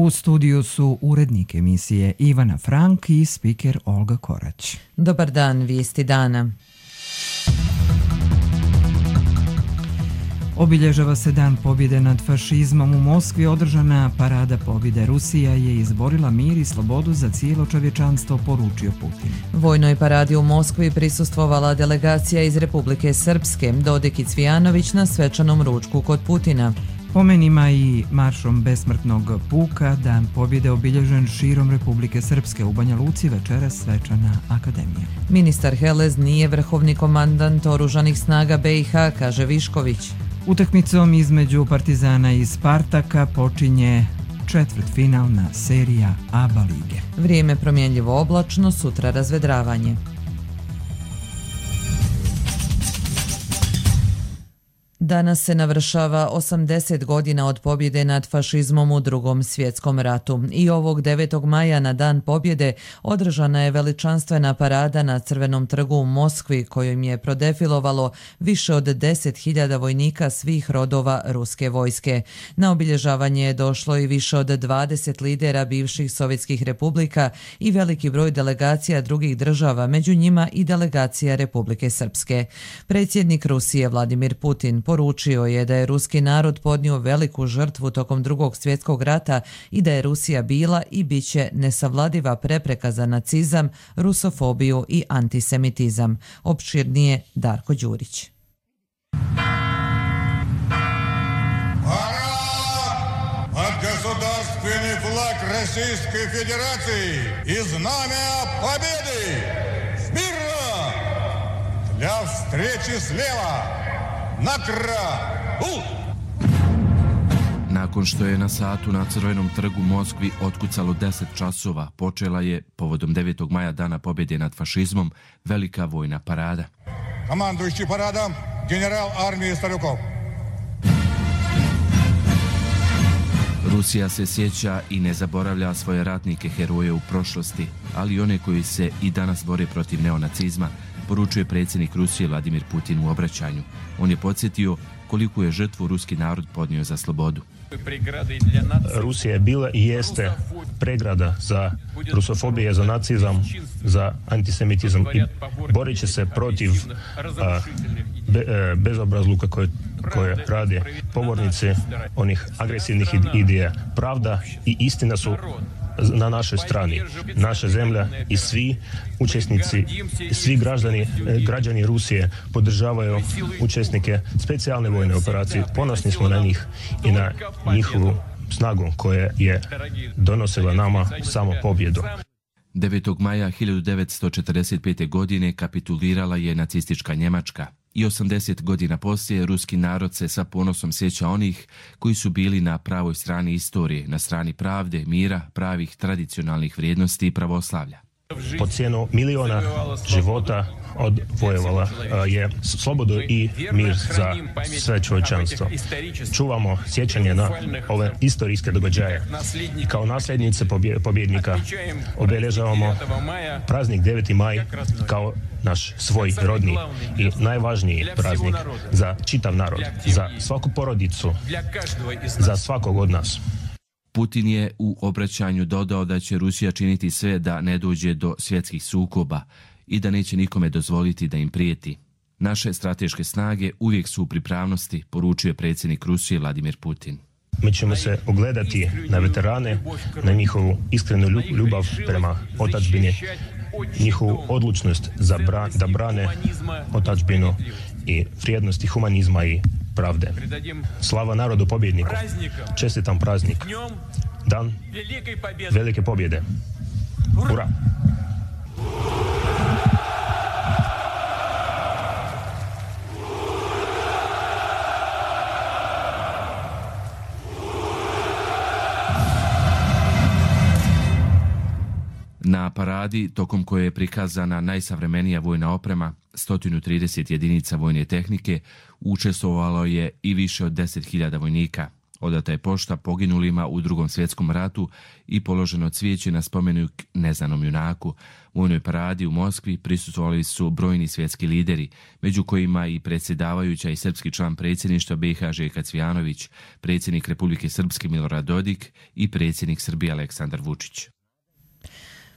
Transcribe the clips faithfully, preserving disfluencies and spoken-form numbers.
U studiju su urednik emisije Ivana Frank i spiker Olga Korać. Dobar dan, vijesti dana. Obilježava se Dan pobjede nad fašizmom. U Moskvi održana parada pobjede. Rusija je izborila mir i slobodu za cijelo čovječanstvo, poručio Putin. Vojnoj paradi u Moskvi prisustvovala delegacija iz Republike Srpske. Dodik i Cvijanović na svečanom ručku kod Putina. Pomenima i maršom besmrtnog puka Dan pobjede obilježen širom Republike Srpske. U Banja Luci večeras svečana akademija. Ministar Helez nije vrhovni komandant oružanih snaga B i H, kaže Višković. Utakmicom između Partizana i Spartaka počinje četvrtfinalna serija A B A lige. Vrijeme promjenljivo oblačno, sutra razvedravanje. Danas se navršava osamdeset godina od pobjede nad fašizmom u Drugom svjetskom ratu. I ovog devetog maja na Dan pobjede održana je veličanstvena parada na Crvenom trgu u Moskvi, kojom je prodefilovalo više od deset hiljada vojnika svih rodova ruske vojske. Na obilježavanje je došlo i više od dvadeset lidera bivših sovjetskih republika i veliki broj delegacija drugih država, među njima i delegacija Republike Srpske. Predsjednik Rusije Vladimir Putin poručio je da je ruski narod podnio veliku žrtvu tokom Drugog svjetskog rata i da je Rusija bila i bit će nesavladiva prepreka za nacizam, rusofobiju i antisemitizam. Opširnije Darko Đurić. Под государственный флаг Российской Федерации и знамя победы! Смирно! Для встречи слева! Nakon što je na satu na Crvenom trgu u Moskvi otkucalo deset časova, počela je, povodom devetog maja Dana pobjede nad fašizmom, velika vojna parada. Komandujući paradom, general armije Starukov. Rusija se sjeća i ne zaboravlja svoje ratnike heroje u prošlosti, ali i one koji se i danas bore protiv neonacizma, poručuje predsjednik Rusije Vladimir Putin u obraćanju. On je podsjetio koliko je žrtvu ruski narod podnio za slobodu. Rusija je bila i jeste pregrada za rusofobije, za nacizam, za antisemitizam i borit će se protiv a, be, a, bezobrazluka koje, koje rade pobornici onih agresivnih ideja. Pravda i istina su na našoj strani. Naša zemlja i svi učesnici, svi građani, građani Rusije podržavaju učesnike specijalne vojne operacije. Ponosni smo na njih i na njihovu snagu koja je donosila nama samo pobjedu. devetog maja hiljadu devetsto četrdeset pete. godine kapitulirala je nacistička Njemačka. I osamdeset godina poslije ruski narod se sa ponosom sjeća onih koji su bili na pravoj strani istorije, na strani pravde, mira, pravih tradicionalnih vrijednosti i pravoslavlja. Po cijenu miliona života odvojevala je slobodu i mir za sve čovječanstvo. Čuvamo sjećanje na ove istorijske događaje. Kao nasljednice pobjednika obilježavamo praznik deveti maj kao naš svoj rodni i najvažniji praznik za čitav narod, za svaku porodicu, za svakog od nas. Putin je u obraćanju dodao da će Rusija činiti sve da ne dođe do svjetskih sukoba i da neće nikome dozvoliti da im prijeti. Naše strateške snage uvijek su u pripravnosti, poručuje predsjednik Rusije Vladimir Putin. Mi ćemo se ogledati na veterane, na njihovu iskrenu ljubav prema otadžbini, njihovu odlučnost za bra, da brane otadžbinu i vrijednosti humanizma i pravde. Slava narodu pobjedniku. Čestitam praznik. Dan velike pobjede. Ura! Na paradi, tokom koje je prikazana najsavremenija vojna oprema, sto trideset jedinica vojne tehnike, učestvovalo je i više od deset hiljada vojnika. Odata je pošta poginulima u Drugom svjetskom ratu i položeno cvijeće na spomenik neznanom junaku. U onoj paradi u Moskvi prisustvovali su brojni svjetski lideri, među kojima i predsjedavajuća i srpski član predsjedništva B i H Željka Cvijanović, predsjednik Republike Srpske Milorad Dodik i predsjednik Srbije Aleksandar Vučić.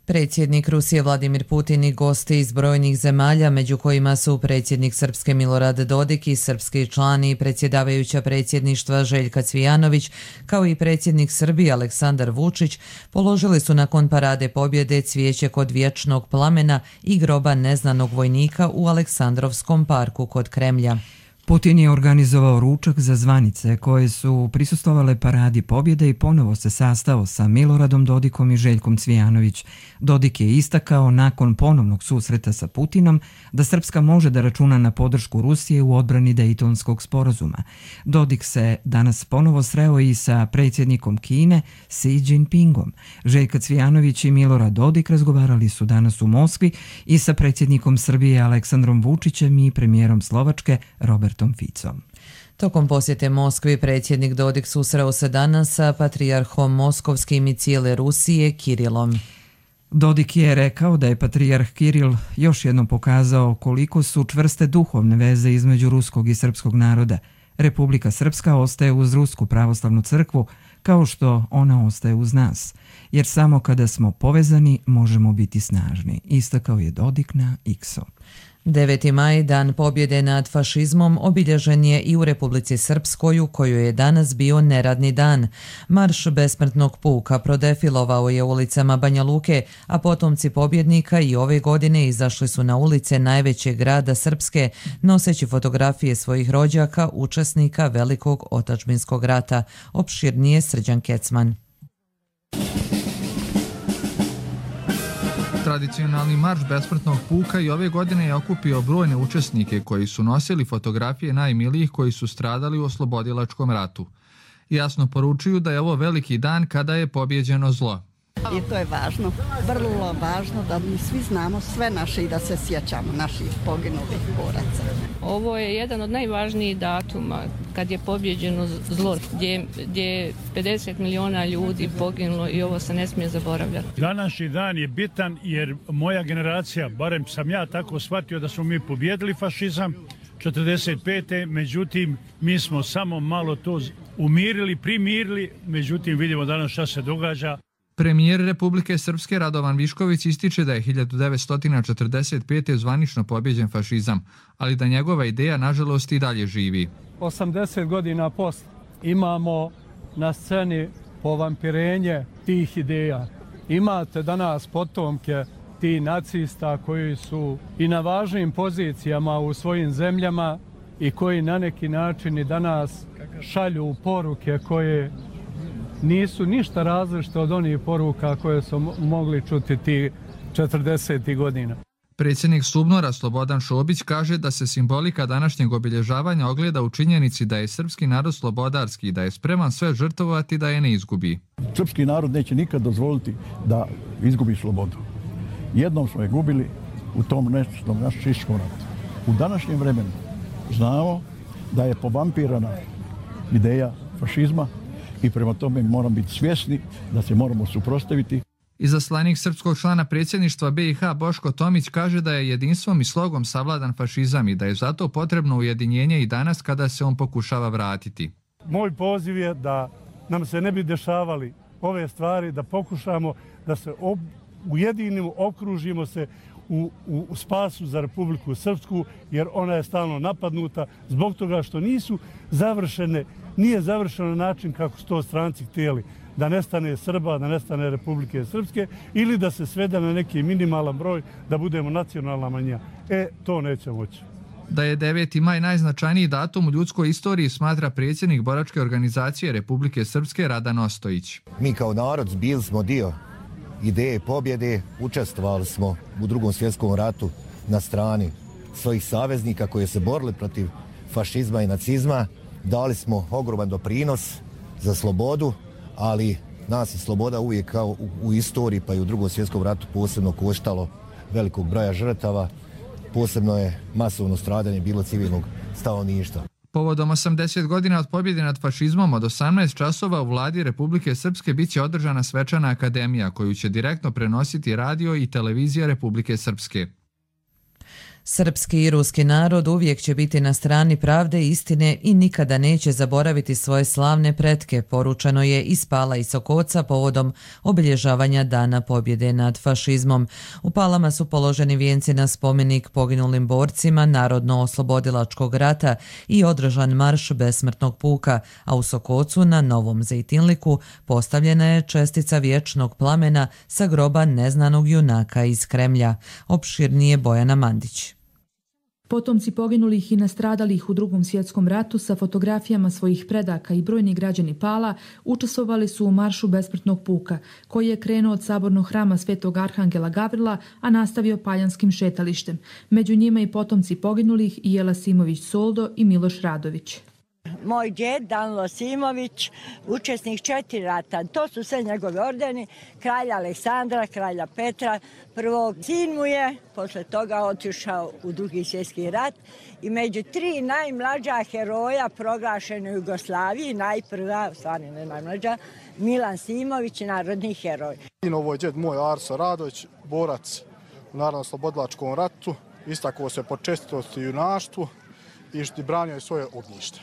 Predsjednik Rusije Vladimir Putin i gosti iz brojnih zemalja, među kojima su predsjednik Srpske Milorad Dodik i srpski član i predsjedavajuća predsjedništva Željka Cvijanović, kao i predsjednik Srbije Aleksandar Vučić, položili su nakon parade pobjede cvijeće kod vječnog plamena i groba neznanog vojnika u Aleksandrovskom parku kod Kremlja. Putin je organizovao ručak za zvanice koje su prisustvovale paradi pobjede i ponovo se sastao sa Miloradom Dodikom i Željkom Cvijanović. Dodik je istakao nakon ponovnog susreta sa Putinom da Srpska može da računa na podršku Rusije u odbrani Dejtonskog sporazuma. Dodik se danas ponovo sreo i sa predsjednikom Kine Xi Jinpingom. Željka Cvijanović i Milorad Dodik razgovarali su danas u Moskvi i sa predsjednikom Srbije Aleksandrom Vučićem i premijerom Slovačke Robertom Ficom. Tokom posjete Moskvi predsjednik Dodik susreo se danas sa patrijarhom moskovskim i cijele Rusije Kirilom. Dodik je rekao da je patrijarh Kiril još jednom pokazao koliko su čvrste duhovne veze između ruskog i srpskog naroda. Republika Srpska ostaje uz Rusku pravoslavnu crkvu kao što ona ostaje uz nas, jer samo kada smo povezani možemo biti snažni, istakao je Dodik na X-u. deveti maj, dan pobjede nad fašizmom, obilježen je i u Republici Srpskoj, u kojoj je danas bio neradni dan. Marš besmrtnog puka prodefilovao je ulicama Banja Luke, a potomci pobjednika i ove godine izašli su na ulice najvećeg grada Srpske, noseći fotografije svojih rođaka, učesnika Velikog otadžbinskog rata. Opširnije Srđan Kecman. Tradicionalni marš besmrtnog puka i ove godine je okupio brojne učesnike koji su nosili fotografije najmilijih koji su stradali u oslobodilačkom ratu. Jasno poručuju da je ovo veliki dan kada je pobjeđeno zlo. I to je važno, vrlo važno da mi svi znamo sve naše i da se sjećamo naših poginulih boraca. Ovo je jedan od najvažnijih datuma kad je pobjeđeno zlo, gdje, gdje je pedeset miliona ljudi poginulo i ovo se ne smije zaboravljati. Današnji dan je bitan jer moja generacija, barem sam ja tako shvatio da smo mi pobjedili fašizam četrdeset pete. Međutim, mi smo samo malo to umirili, primirili, međutim vidimo danas šta se događa. Premijer Republike Srpske Radovan Višković ističe da je hiljadu devetsto četrdeset pete zvanično pobjeđen fašizam, ali da njegova ideja nažalost i dalje živi. osamdeset godina posle imamo na sceni povampirenje tih ideja. Imate danas potomke ti nacista koji su i na važnim pozicijama u svojim zemljama i koji na neki način i danas šalju poruke koje nisu ništa različite od onih poruka koje su mogli čuti ti četrdesetih godina. Predsjednik Subnora Slobodan Šobić kaže da se simbolika današnjeg obilježavanja ogleda u činjenici da je srpski narod slobodarski i da je spreman sve žrtvovati da je ne izgubi. Srpski narod neće nikad dozvoliti da izgubi slobodu. Jednom smo je gubili u tom nečnom nacističkom ratu. U današnjem vremenu znamo da je povampirana ideja fašizma i prema tome moramo biti svjesni da se moramo suprotstaviti. Izaslanik srpskog člana predsjedništva B i H Boško Tomić kaže da je jedinstvom i slogom savladan fašizam i da je zato potrebno ujedinjenje i danas kada se on pokušava vratiti. Moj poziv je da nam se ne bi dešavali ove stvari, da pokušamo da se ob... ujedinimo, okružimo se u, u spasu za Republiku Srpsku, jer ona je stalno napadnuta zbog toga što nisu završene, nije završeno na način kako su to stranci htjeli, da nestane Srba, da nestane Republike Srpske ili da se svede na neki minimalan broj da budemo nacionalna manjina. E, to neće moći. Da je deveti maj najznačajniji datum u ljudskoj istoriji smatra predsjednik boračke organizacije Republike Srpske Radan Ostojić. Mi kao narod bili smo dio ideje pobjede, učestvovali smo u Drugom svjetskom ratu na strani svojih saveznika koji se borili protiv fašizma i nacizma. Dali smo ogroman doprinos za slobodu, ali nas je sloboda uvijek kao u, u istoriji pa i u Drugom svjetskom ratu posebno koštalo velikog broja žrtava. Posebno je masovno stradanje bilo civilnog stanovništva. Povodom osamdeset godina od pobjede nad fašizmom od osamnaest časova u vladi Republike Srpske bit će održana svečana akademija koju će direktno prenositi radio i televizija Republike Srpske. Srpski i ruski narod uvijek će biti na strani pravde i istine i nikada neće zaboraviti svoje slavne pretke, poručeno je iz Pala i Sokoca povodom obilježavanja Dana pobjede nad fašizmom. U Palama su položeni vijenci na spomenik poginulim borcima Narodno-oslobodilačkog rata i održan marš besmrtnog puka, a u Sokocu na Novom Zejtinliku postavljena je čestica vječnog plamena sa groba neznanog junaka iz Kremlja. Opširnije Bojana Mandić. Potomci poginulih i nastradalih u Drugom svjetskom ratu sa fotografijama svojih predaka i brojni građani Pala učestvovali su u maršu besmrtnog puka, koji je krenuo od sabornog hrama Svetog Arhangela Gavrila, a nastavio Paljanskim šetalištem. Među njima i potomci poginulih Jela Simović Soldo i Miloš Radović. Moj djed Danilo Simović, učesnik četiri rata, to su sve njegovi ordeni, kralja Aleksandra, kralja Petra, prvog sin mu je, posle toga otišao u Drugi svjetski rat i među tri najmlađa heroja proglašene u Jugoslaviji, najprva, stvarno ne najmlađa, Milan Simović, narodni heroj. Ovo je djed moj Arso Radović, borac u Narodno-oslobodilačkom ratu, istakao se po čestitosti i junaštvu i branio je svoje ognjište.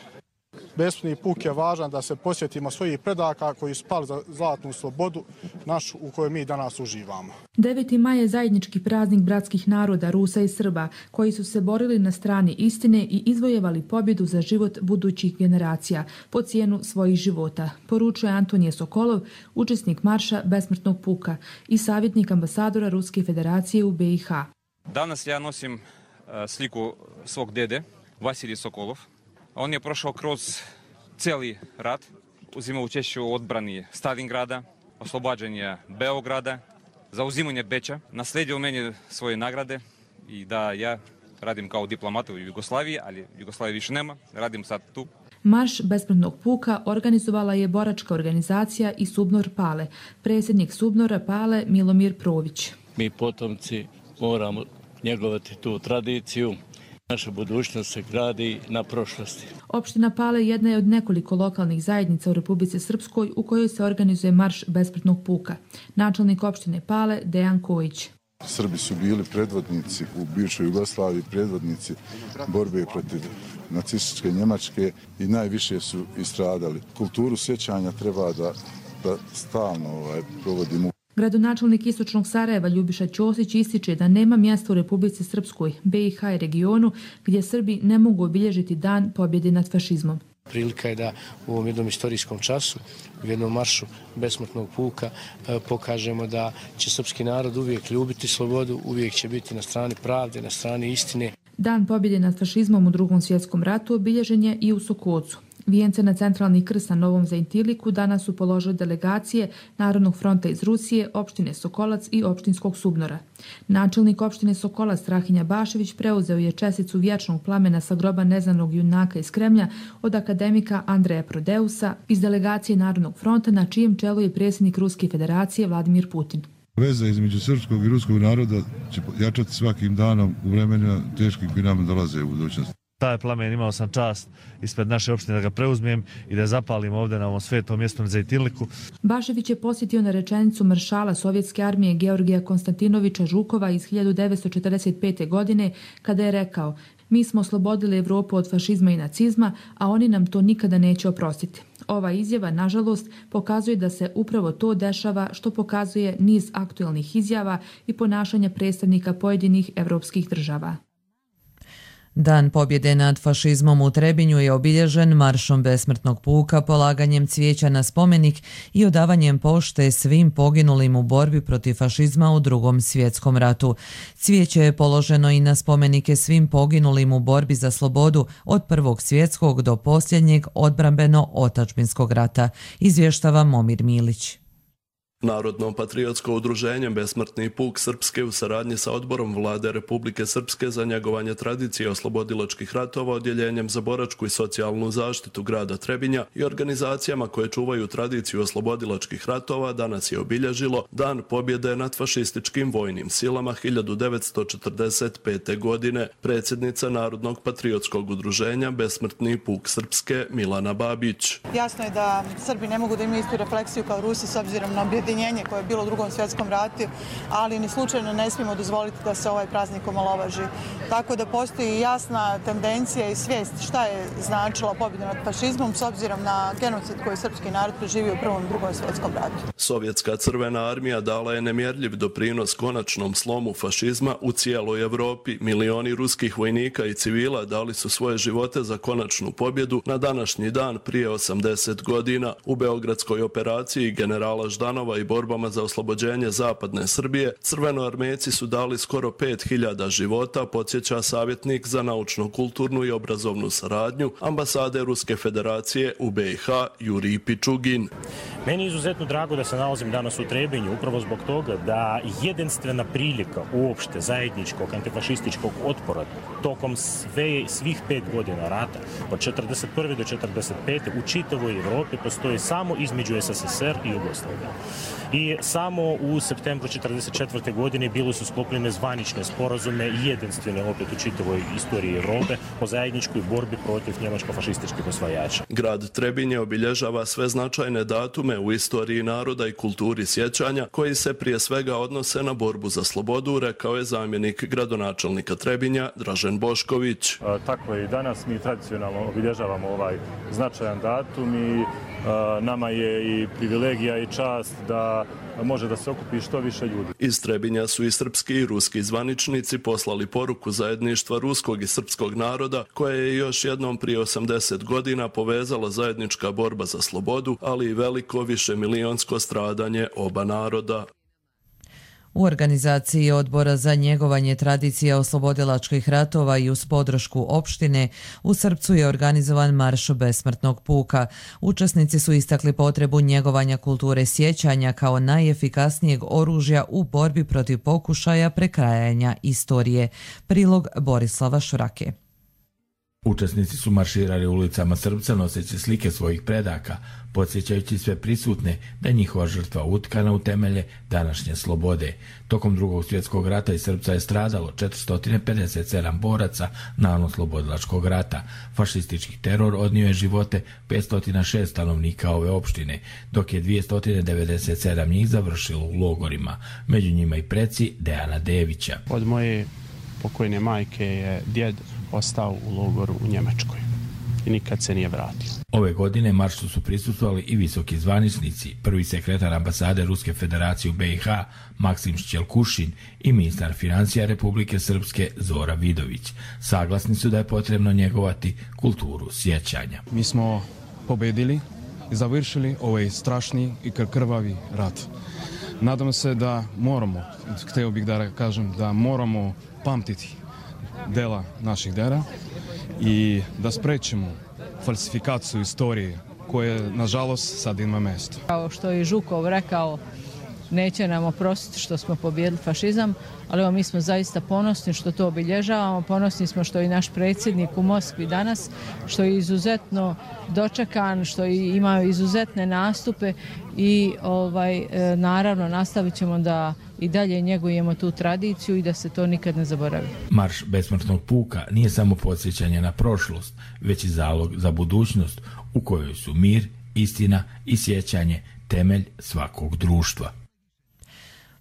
Besmrtni puk je važan da se posjetimo svojih predaka koji su pali za zlatnu slobodu našu u kojoj mi danas uživamo. deveti maj je zajednički praznik bratskih naroda Rusa i Srba koji su se borili na strani istine i izvojevali pobjedu za život budućih generacija po cijenu svojih života, poručuje Antonije Sokolov, učesnik marša besmrtnog puka i savjetnik ambasadora Ruske federacije u B i H. Danas ja nosim sliku svog dede, Vasilij Sokolov. On je prošao kroz cijeli rat, uzimao učešće u odbrani Stalingrada, oslobađanje Beograda, zauzimanje Beča, naslijedio meni svoje nagrade i da ja radim kao diplomat u Jugoslaviji, ali Jugoslavije više nema, radim sad tu. Marš besmrtnog puka organizovala je boračka organizacija i Subnor Pale, predsjednik Subnora Pale Milomir Prović. Mi potomci moramo njegovati tu tradiciju. Naša budućnost se gradi na prošlosti. Opština Pale jedna je od nekoliko lokalnih zajednica u Republici Srpskoj u kojoj se organizuje marš besmrtnog puka. Načelnik opštine Pale Dejan Kojić. Srbi su bili predvodnici u bivšoj Jugoslaviji, predvodnici borbe protiv nacističke Njemačke i najviše su istradali. Kulturu sjećanja treba da, da stalno ovaj, provodimo. Gradonačelnik Istočnog Sarajeva Ljubiša Ćosić ističe da nema mjesta u Republici Srpskoj, B i H i regionu gdje Srbi ne mogu obilježiti dan pobjede nad fašizmom. Prilika je da u ovom jednom istorijskom času, u jednom maršu besmrtnog puka pokažemo da će srpski narod uvijek ljubiti slobodu, uvijek će biti na strani pravde, na strani istine. Dan pobjede nad fašizmom u Drugom svjetskom ratu obilježen je i u Sokocu. Vijence na centralni krst na Novom Zejtinliku danas su položili delegacije Narodnog fronta iz Rusije, opštine Sokolac i opštinskog Subnora. Načelnik opštine Sokolac Strahinja Bašević preuzeo je česticu vječnog plamena sa groba neznanog junaka iz Kremlja od akademika Andreja Prodeusa iz delegacije Narodnog fronta na čijem čelu je predsjednik Ruske federacije Vladimir Putin. Veza između srpskog i ruskog naroda će jačati svakim danom u vremenima teških koji nam dolaze u budućnosti. Taj plamen imao sam čast ispred naše opštine da ga preuzmem i da zapalim ovdje na ovom svetom mjestu na Zejtinliku. Bašević je posjetio na rečenicu maršala Sovjetske armije Georgija Konstantinovića Žukova iz hiljadu devetsto četrdeset pete. godine kada je rekao: "Mi smo oslobodili Evropu od fašizma i nacizma, a oni nam to nikada neće oprostiti." Ova izjava, nažalost, pokazuje da se upravo to dešava, što pokazuje niz aktuelnih izjava i ponašanja predstavnika pojedinih evropskih država. Dan pobjede nad fašizmom u Trebinju je obilježen maršom besmrtnog puka, polaganjem cvijeća na spomenik i odavanjem pošte svim poginulim u borbi protiv fašizma u Drugom svjetskom ratu. Cvijeće je položeno i na spomenike svim poginulim u borbi za slobodu od Prvog svjetskog do posljednjeg odbrambeno-otadžbinskog rata, izvještava Momir Milić. Narodno patriotsko udruženje Besmrtni puk Srpske u saradnji sa odborom Vlade Republike Srpske za njegovanje tradicije oslobodilačkih ratova, odjeljenjem za boračku i socijalnu zaštitu grada Trebinja i organizacijama koje čuvaju tradiciju oslobodilačkih ratova danas je obilježilo Dan pobjede nad fašističkim vojnim silama hiljadu devetsto četrdeset pete. godine. Predsjednica Narodnog patriotskog udruženja Besmrtni puk Srpske Milana Babić. Jasno je da Srbi ne mogu da imaju istu refleksiju kao Rusi s obzirom na objedinjenje koje je bilo u drugom svjetskom ratu, ali ni slučajno ne smijemo dozvoliti da se ovaj praznik omalovaži. Tako da postoji jasna tendencija i svijest šta je značila pobjeda nad fašizmom s obzirom na genocid koji je srpski narod preživio u prvom i drugom svjetskom ratu. Sovjetska crvena armija dala je nemjerljiv doprinos konačnom slomu fašizma u cijeloj Evropi. Milioni ruskih vojnika i civila dali su svoje živote za konačnu pobjedu na današnji dan prije osamdeset godina. U beogradskoj operaciji generala Ždanova i borbama za oslobođenje zapadne Srbije, crvenoarmejci su dali skoro pet hiljada života, podsjeća savjetnik za naučno-kulturnu i obrazovnu saradnju ambasade Ruske federacije u B i H Jurij Pičugin. Meni je izuzetno drago da se nalazim danas u Trebinju, upravo zbog toga da jedinstvena prilika uopšte zajedničkog antifašističkog otpora tokom sve, svih pet godina rata, od četrdeset prve do četrdeset pete u čitavoj Evropi postoji samo između S S S R i Jugoslavije. I samo u septembru četrdeset četvrte. godine bili su sklopljene zvanične sporazume i jedinstvene opet u čitavoj istoriji Evrope o zajedničkoj borbi protiv njemačko-fašističkih osvajača. Grad Trebinje obilježava sve značajne datume u istoriji naroda i kulturi sjećanja koji se prije svega odnose na borbu za slobodu, rekao je zamjenik gradonačelnika Trebinja Dražen Bošković. A, tako je i danas mi tradicionalno obilježavamo ovaj značajan datum i a, nama je i privilegija i čast da može da se okupi što više ljudi. Iz Trebinja su i srpski i ruski zvaničnici poslali poruku zajedništva ruskog i srpskog naroda koja je još jednom prije osamdeset godina povezala zajednička borba za slobodu, ali i veliko višemilijonsko stradanje oba naroda. U organizaciji Odbora za njegovanje tradicija oslobodilačkih ratova i uz podršku opštine u Srpcu je organizovan Marš besmrtnog puka. Učesnici su istakli potrebu njegovanja kulture sjećanja kao najefikasnijeg oružja u borbi protiv pokušaja prekrajanja istorije. Prilog Borislava Šurake. Učesnici su marširali ulicama Srpca noseći slike svojih predaka, podsjećajući sve prisutne da je njihova žrtva utkana u temelje današnje slobode. Tokom drugog svjetskog rata iz Srpca je stradalo četiristo pedeset sedam boraca narodno-slobodilačkog rata. Fašistički teror odnio je živote petsto šest stanovnika ove opštine, dok je dvjesto devedeset sedam njih završilo u logorima, među njima i preci Dejana Devića. Od moje pokojne majke je djed ostao u logoru u Njemačkoj i nikad se nije vratio. Ove godine maršu su prisustvovali i visoki zvaničnici, prvi sekretar ambasade Ruske federacije u B i H Maksim Šćelkušin i ministar financija Republike Srpske Zora Vidović. Saglasni su da je potrebno njegovati kulturu sjećanja. Mi smo pobedili i završili ovaj strašni i krvavi rat. Nadam se da moramo, hteo bih da kažem, da moramo pamtiti dela naših dera i da sprečimo falsifikaciju istorije koje, nažalost, sad ima mjesto. Kao što je Žukov rekao, neće nam oprostiti što smo pobijedili fašizam, ali evo, mi smo zaista ponosni što to obilježavamo, ponosni smo što je naš predsjednik u Moskvi danas, što je izuzetno dočekan, što ima izuzetne nastupe i ovaj, naravno nastavit ćemo da i dalje njegujemo tu tradiciju i da se to nikad ne zaboravi. Marš besmrtnog puka nije samo podsjećanje na prošlost, već i zalog za budućnost u kojoj su mir, istina i sjećanje temelj svakog društva.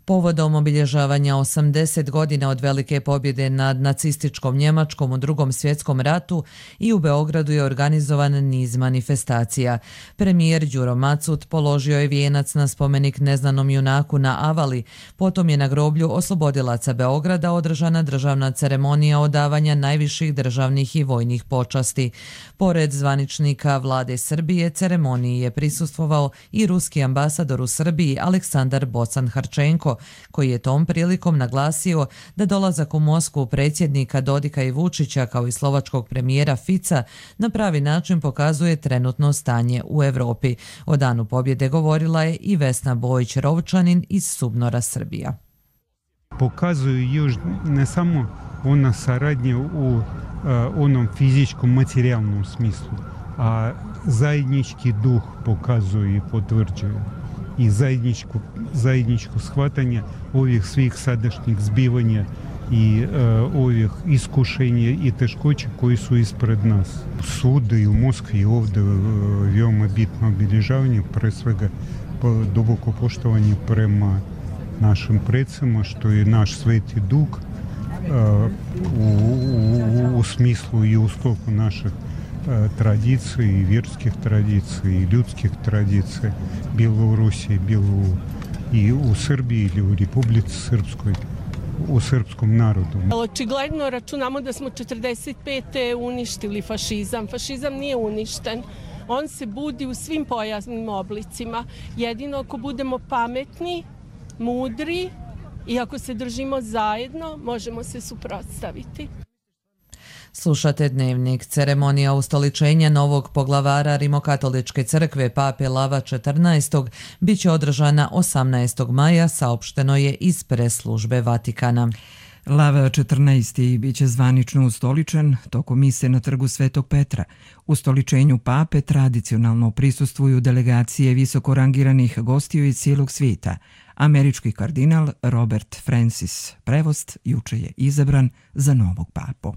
Povodom obilježavanja osamdeset godina od velike pobjede nad nacističkom Njemačkom u drugom svjetskom ratu i u Beogradu je organizovan niz manifestacija. Premijer Đuro Macut položio je vijenac na spomenik neznanom junaku na Avali, potom je na groblju oslobodilaca Beograda održana državna ceremonija odavanja najviših državnih i vojnih počasti. Pored zvaničnika vlade Srbije, ceremoniji je prisustvovao i ruski ambasador u Srbiji Aleksandar Bocan-Harčenko, Plenko, koji je tom prilikom naglasio da dolazak u Moskvu predsjednika Dodika i Vučića kao i slovačkog premijera Fica na pravi način pokazuje trenutno stanje u Europi. O danu pobjede govorila je i Vesna Bojić-Rovčanin iz Subnora, Srbija. Pokazuju još ne samo ona saradnja u onom fizičkom, materijalnom smislu, a zajednički duh pokazuje i potvrđuje i zajedničko, zajedničko shvatanje ovih svih sadašnjih zbivanja i uh, ovih iskušenja i teškoća koji su ispred nas. Svuda i u Moskvi i ovde uh, veoma bitno obilježavanje, pre svega po, duboko poštovanje prema našim predsima, što je naš sveti duh uh, u, u, u smislu i u sklopu naših tradicija i vjerskih tradicija i ljudskih tradicija, bilo u Rusiji, bilo i u Srbiji ili u Republici Srpskoj, u srpskom narodu. Očigledno računamo da smo četrdeset pete uništili fašizam. Fašizam nije uništen. On se budi u svim pojavnim oblicima. Jedino ako budemo pametni, mudri i ako se držimo zajedno, možemo se suprotstaviti. Slušate Dnevnik. Ceremonija ustoličenja novog poglavara Rimokatoličke crkve Pape Lava četrnaestog bit će održana osamnaestog maja, saopšteno je iz pres službe Vatikana. Lava četrnaesti bit će zvanično ustoličen tokom mise na trgu Svetog Petra. Ustoličenju pape tradicionalno prisustvuju delegacije visoko rangiranih gostiju iz cijelog svijeta. Američki kardinal Robert Francis Prevost juče je izabran za novog papu.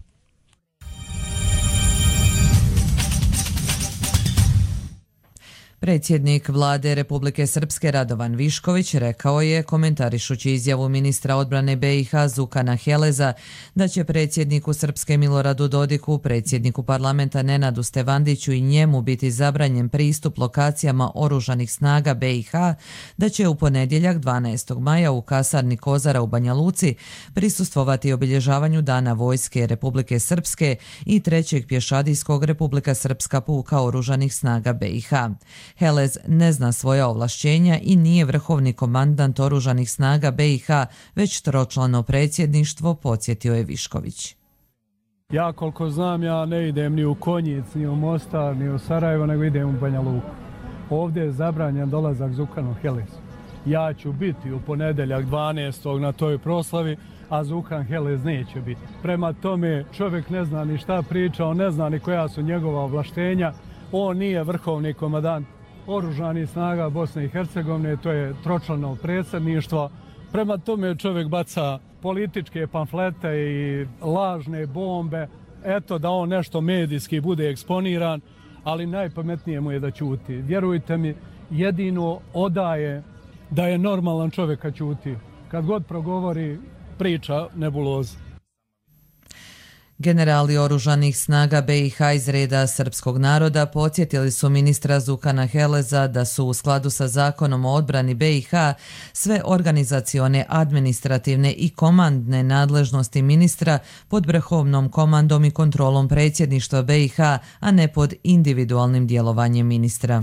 Predsjednik vlade Republike Srpske Radovan Višković rekao je, komentarišući izjavu ministra odbrane be i ha Zukana Heleza, da će predsjedniku Srpske Miloradu Dodiku, predsjedniku parlamenta Nenadu Stevandiću i njemu biti zabranjen pristup lokacijama oružanih snaga be i ha, da će u ponedjeljak dvanaestog maja u kasarni Kozara u Banja Luci prisustvovati obilježavanju Dana vojske Republike Srpske i trećeg pješadijskog Republika Srpska puka oružanih snaga be i ha. Helez ne zna svoja ovlašćenja i nije vrhovni komandant oružanih snaga be i ha, već tročlano predsjedništvo, podsjetio je Višković. Ja koliko znam, ja ne idem ni u Konjic, ni u Mostar, ni u Sarajevo, nego idem u Banja Luku. Ovdje je zabranjen dolazak Zukanu Helezu. Ja ću biti u ponedeljak dvanaestog na toj proslavi, a Zukan Helez neće biti. Prema tome čovjek ne zna ni šta priča, on ne zna ni koja su njegova ovlaštenja. On nije vrhovni komandant oružanih snaga Bosne i Hercegovine, to je tročlano predsjedništvo. Prema tome čovjek baca političke pamflete i lažne bombe, eto da on nešto medijski bude eksponiran, ali najpametnije mu je da ćuti. Vjerujte mi, jedino odaje da je normalan čovjek kad ćuti. Kad god progovori, priča nebuloza. Generali oružanih snaga be i ha iz reda srpskog naroda podsjetili su ministra Zukana Heleza da su u skladu sa zakonom o odbrani be i ha sve organizacione, administrativne i komandne nadležnosti ministra pod vrhovnom komandom i kontrolom predsjedništva be i ha, a ne pod individualnim djelovanjem ministra.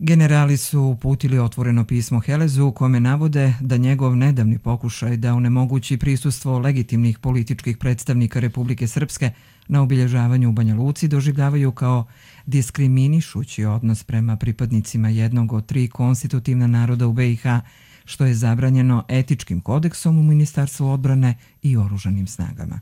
Generali su uputili otvoreno pismo Helezu u kome navode da njegov nedavni pokušaj da onemogući prisustvo legitimnih političkih predstavnika Republike Srpske na obilježavanju u Banja Luci doživljavaju kao diskriminišući odnos prema pripadnicima jednog od tri konstitutivna naroda u be i ha, što je zabranjeno etičkim kodeksom u Ministarstvu odbrane i oružanim snagama.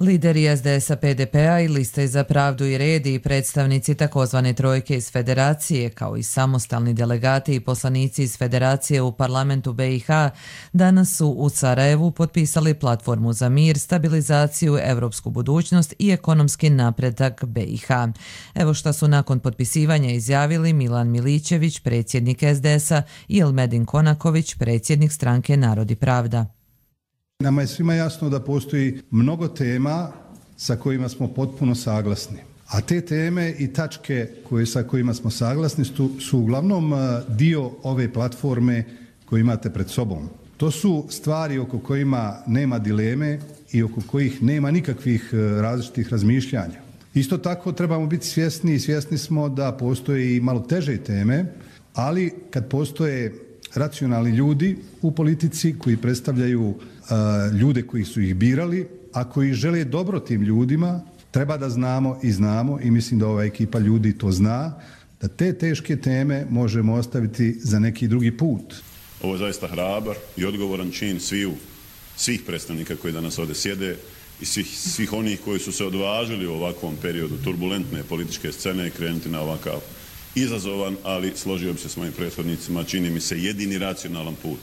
Lideri es de es a pe de pe a i Liste za pravdu i red i predstavnici takozvane trojke iz Federacije, kao i samostalni delegati i poslanici iz Federacije u parlamentu be i ha, danas su u Sarajevu potpisali platformu za mir, stabilizaciju, evropsku budućnost i ekonomski napredak be i ha. Evo šta su nakon potpisivanja izjavili Milan Milićević, predsjednik es de es a, i Elmedin Konaković, predsjednik stranke Narod i pravda. Nama je svima jasno da postoji mnogo tema sa kojima smo potpuno saglasni. A te teme i tačke koje, sa kojima smo saglasni su, su uglavnom dio ove platforme koju imate pred sobom. To su stvari oko kojima nema dileme i oko kojih nema nikakvih različitih razmišljanja. Isto tako trebamo biti svjesni i svjesni smo da postoje i malo teže teme, ali kad postoje racionalni ljudi u politici koji predstavljaju uh, ljude koji su ih birali, a koji žele dobro tim ljudima. Treba da znamo i znamo, i mislim da ova ekipa ljudi to zna, da te teške teme možemo ostaviti za neki drugi put. Ovo je zaista hrabar i odgovoran čin sviju, svih predstavnika koji danas ovdje sjede i svih, svih onih koji su se odvažili u ovakvom periodu turbulentne političke scene krenuti na ovakav izazovan, ali složio bi se s mojim prethodnicima, čini mi se jedini racionalan put.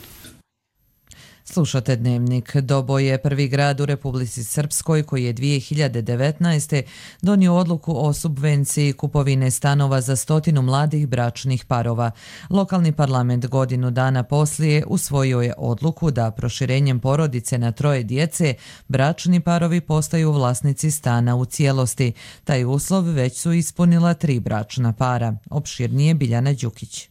Slušate Dnevnik. Doboj je prvi grad u Republici Srpskoj koji je dvije hiljade devetnaeste. donio odluku o subvenciji kupovine stanova za stotinu mladih bračnih parova. Lokalni parlament godinu dana poslije usvojio je odluku da proširenjem porodice na troje djece bračni parovi postaju vlasnici stana u cijelosti. Taj uslov već su ispunila tri bračna para. Opširnije Biljana Đukić.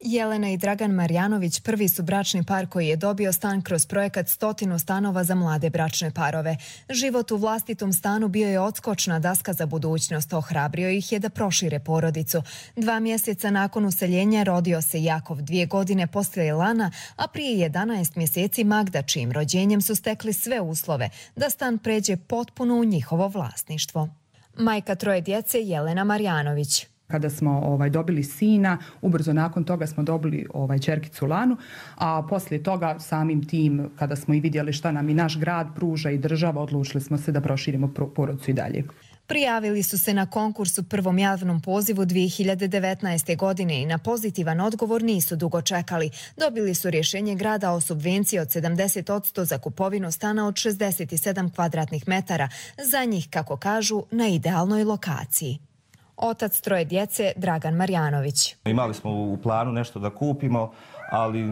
Jelena i Dragan Marjanović prvi su bračni par koji je dobio stan kroz projekat Stotinu stanova za mlade bračne parove. Život u vlastitom stanu bio je odskočna daska za budućnost, ohrabrio ih je da prošire porodicu. Dva mjeseca nakon useljenja rodio se Jakov, dvije godine poslije Lana, a prije jedanaest mjeseci Magda, čijim rođenjem su stekli sve uslove da stan pređe potpuno u njihovo vlasništvo. Majka troje djece Jelena Marjanović. Kada smo ovaj, dobili sina, ubrzo nakon toga smo dobili ovaj, ćerkicu Lanu, a poslije toga samim tim, kada smo i vidjeli šta nam i naš grad pruža i država, odlučili smo se da proširimo porodicu i dalje. Prijavili su se na konkurs u prvom javnom pozivu dvije hiljade devetnaeste. godine i na pozitivan odgovor nisu dugo čekali. Dobili su rješenje grada o subvenciji od sedamdeset posto za kupovinu stana od šezdeset sedam kvadratnih metara, za njih, kako kažu, na idealnoj lokaciji. Otac troje djece Dragan Marjanović. Imali smo u planu nešto da kupimo, ali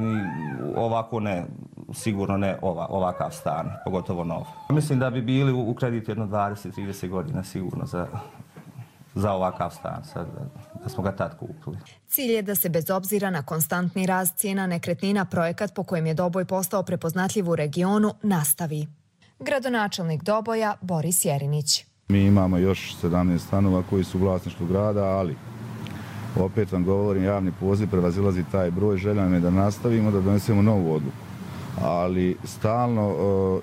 ovako ne, sigurno ne ova, ovakav stan, pogotovo nov. Mislim da bi bili u kreditu jedno dvadeset do trideset godina sigurno za, za ovakav stan, sad, da smo ga tad kupili. Cilj je da se bez obzira na konstantni rast cijena nekretnina projekat po kojem je Doboj postao prepoznatljiv u regionu nastavi. Gradonačelnik Doboja Boris Jerinić. Mi imamo još sedamnaest stanova koji su vlasništvo grada, ali opet vam govorim, javni poziv prevazilazi taj broj, želja nam je da nastavimo, da donesemo novu odluku. Ali stalno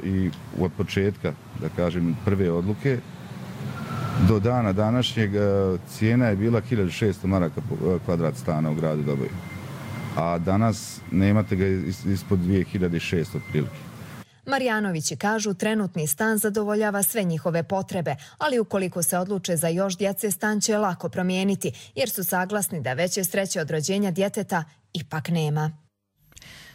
i od početka, da kažem, prve odluke, do dana današnjeg cijena je bila hiljadu šesto maraka po kvadrat stana u gradu Doboju. A danas nemate ga ispod dvije hiljade šesto otprilike. Marjanovići kažu trenutni stan zadovoljava sve njihove potrebe, ali ukoliko se odluče za još djece, stan će lako promijeniti, jer su saglasni da veće sreće od rođenja djeteta ipak nema.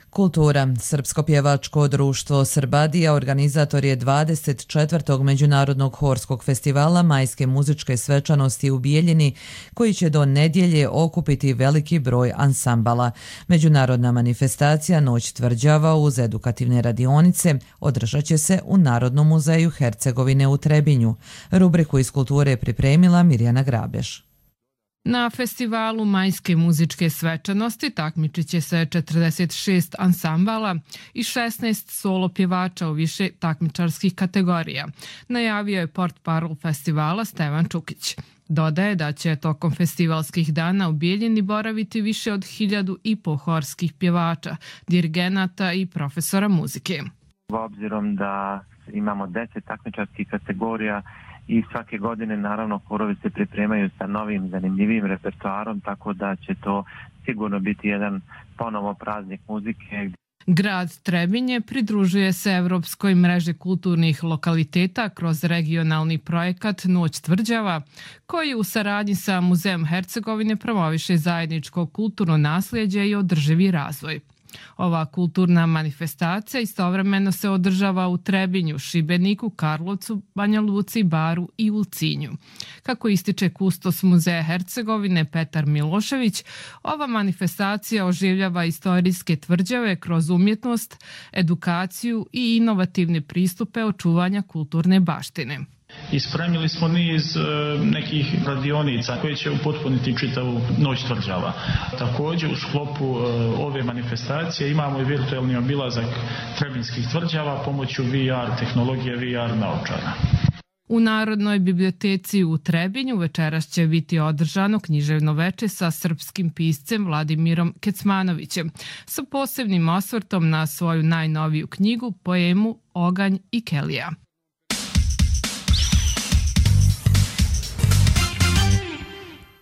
Kultura. Srpsko pjevačko društvo Srbadija organizator je dvadeset četvrtog Međunarodnog horskog festivala Majske muzičke svečanosti u Bijeljini, koji će do nedjelje okupiti veliki broj ansambala. Međunarodna manifestacija Noć tvrđava uz edukativne radionice održat će se u Narodnom muzeju Hercegovine u Trebinju. Rubriku iz kulture je pripremila Mirjana Grabeš. Na festivalu Majske muzičke svečanosti takmičit će se četrdeset šest ansambala i šesnaest solo pjevača u više takmičarskih kategorija, najavio je portparol festivala Stevan Čukić. Dodaje da će tokom festivalskih dana u Bijeljini boraviti više od hiljadu i po horskih pjevača, dirigenata i profesora muzike. Obzirom da imamo deset takmičarskih kategorija, i svake godine naravno horovi se pripremaju sa novim zanimljivim repertoarom, tako da će to sigurno biti jedan ponovo praznik muzike. Grad Trebinje pridružuje se Evropskoj mreži kulturnih lokaliteta kroz regionalni projekat Noć tvrđava, koji u saradnji sa Muzejem Hercegovine promoviše zajedničko kulturno nasljeđe i održivi razvoj. Ova kulturna manifestacija istovremeno se održava u Trebinju, Šibeniku, Karlovcu, Banja Luci, Baru i Ulcinju. Kako ističe kustos Muzeja Hercegovine Petar Milošević, ova manifestacija oživljava istorijske tvrđave kroz umjetnost, edukaciju i inovativne pristupe očuvanja kulturne baštine. Ispremili smo niz e, nekih radionica koje će upotpuniti čitavu Noć tvrđava. Također u sklopu e, ove manifestacije imamo i virtualni obilazak trebinskih tvrđava pomoću V R tehnologije, V R naočara. U Narodnoj biblioteci u Trebinju večeras će biti održano književno veče sa srpskim piscem Vladimirom Kecmanovićem, sa posebnim osvrtom na svoju najnoviju knjigu, poemu Oganj i Kelija.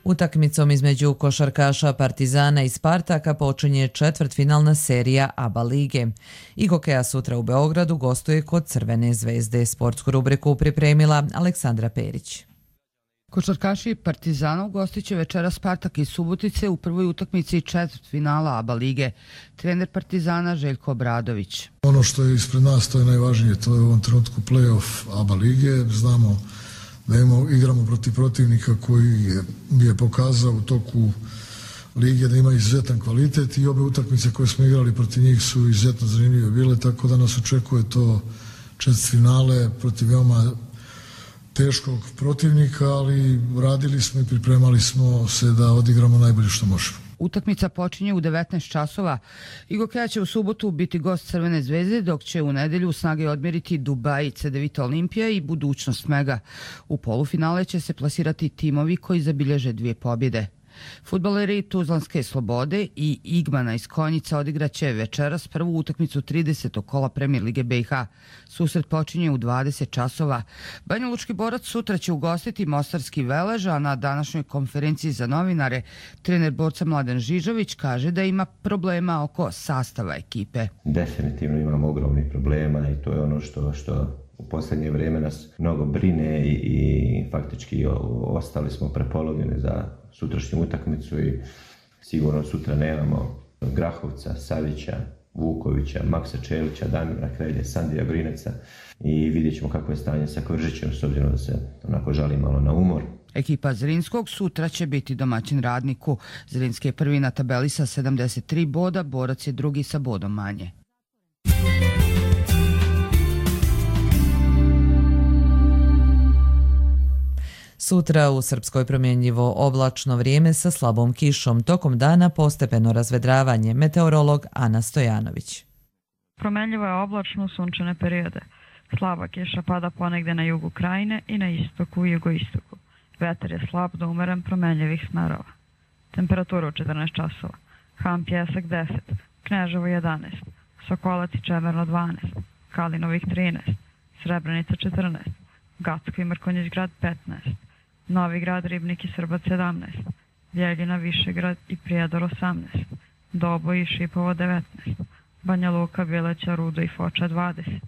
Utakmicom između košarkaša Partizana i Spartaka počinje četvrtfinalna serija ABA lige. I hokeja sutra u Beogradu gostuje kod Crvene zvezde. Sportsku rubriku pripremila Aleksandra Perić. Košarkaši Partizana ugostit će večera Spartak iz Subotice u prvoj utakmici četvrtfinala ABA lige. Trener Partizana Željko Obradović. Ono što je ispred nas, to je najvažnije, to je u ovom trenutku play-off ABA lige. Znamo da imamo, igramo protiv protivnika koji je, je pokazao u toku lige da ima izuzetan kvalitet i obe utakmice koje smo igrali protiv njih su izuzetno zanimljive bile, tako da nas očekuje to četvrtfinale protiv veoma teškog protivnika, ali radili smo i pripremali smo se da odigramo najbolje što možemo. Utakmica počinje u devetnaest časova. Igokeja će u subotu biti gost Crvene zvezde, dok će u nedelju snage odmjeriti Dubai, C D Vita Olimpija i Budućnost Mega. U polufinale će se plasirati timovi koji zabilježe dvije pobjede. Fudbaleri Tuzlanske Slobode i Igmana iz Konjica odigraće večeras prvu utakmicu tridesetog kola Premijer Lige B i H. Susret počinje u dvadeset časova. Banjalučki Borac sutra će ugostiti Mostarski Velež, a na današnjoj konferenciji za novinare trener Borca Mladen Žižović kaže da ima problema oko sastava ekipe. Definitivno imamo ogromnih problema i to je ono što, što u posljednje vrijeme nas mnogo brine i, i faktički ostali smo prepolovljeni za sutrašnju utakmicu i sigurno sutra nemamo Grahovca, Savića, Vukovića, Maksa Čelića, Damira Hrelje, Sandija Grineca i vidjet ćemo kako je stanje sa Kvržićem s obzirom da se onako žali malo na umor. Ekipa Zrinskog sutra će biti domaćin Radniku. Zrinski je prvi na tabeli sa sedamdeset tri boda, Borac je drugi sa bodom manje. Sutra u Srpskoj promjenjivo oblačno vrijeme sa slabom kišom, tokom dana postepeno razvedravanje. Meteorolog Ana Stojanović. Promjenjivo je oblačno sunčane periode. Slaba kiša pada ponegde na jugu krajine i na istoku i jugoistoku. Vetar je slab do umeren promjenjivih smerova. Temperatura u četrnaest časova. Han Pjesak deset, Kneževo jedanaest, Sokolac i Čemerno dvanaest, Kalinovih trinaest, Srebrenica četrnaest, Gacko i Mrkonjić grad petnaest, Novi grad, Ribnik i Srbac sedamnaest, Bjeljina, Višegrad i Prijedor osamnaest, Doboj i Šipovo devetnaest, Banja Luka, Bileća, Rudo i Foča dvadeset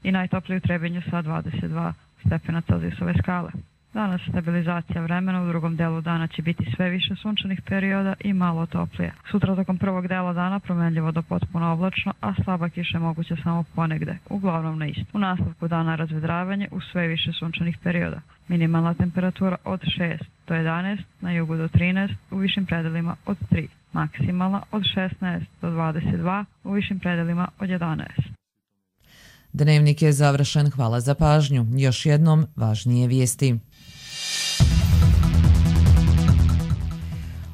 i najtopliji u Trebinju sa dvadeset dva stepena Celzijusove skale. Danas stabilizacija vremena, u drugom delu dana će biti sve više sunčanih perioda i malo toplije. Sutra tokom prvog dela dana promenljivo do potpuno oblačno, a slaba kiša je moguća samo ponegde, uglavnom na isto. U nastavku dana razvedravanje u sve više sunčanih perioda. Minimalna temperatura od šest do jedanaest, na jugu do trinaest, u višim predelima od tri. Maksimalna od šesnaest do dvadeset dva, u višim predelima od jedanaest. Dnevnik je završen, hvala za pažnju. Još jednom važnije vijesti.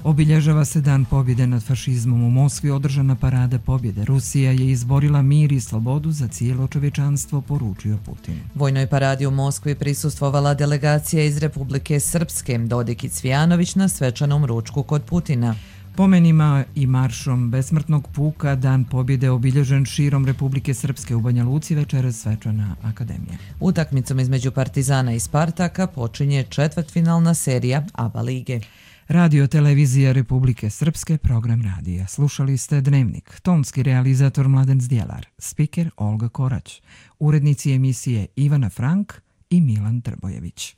Obilježava se Dan pobjede nad fašizmom. U Moskvi održana parada pobjede. Rusija je izborila mir i slobodu za cijelo čovječanstvo, poručio Putin. Vojnoj paradi u Moskvi prisustvovala delegacija iz Republike Srpske. Dodik i Cvijanović na svečanom ručku kod Putina. Pomenima i maršom besmrtnog puka Dan pobjede obilježen širom Republike Srpske. U Banja Luci večeras svečana akademija. Utakmicom između Partizana i Spartaka počinje četvrtfinalna serija ABA lige. Radio televizija Republike Srpske, program radija. Slušali ste Dnevnik. Tonski realizator Mladen Zdjelar, spiker Olga Korać, urednici emisije Ivana Frank i Milan Trbojević.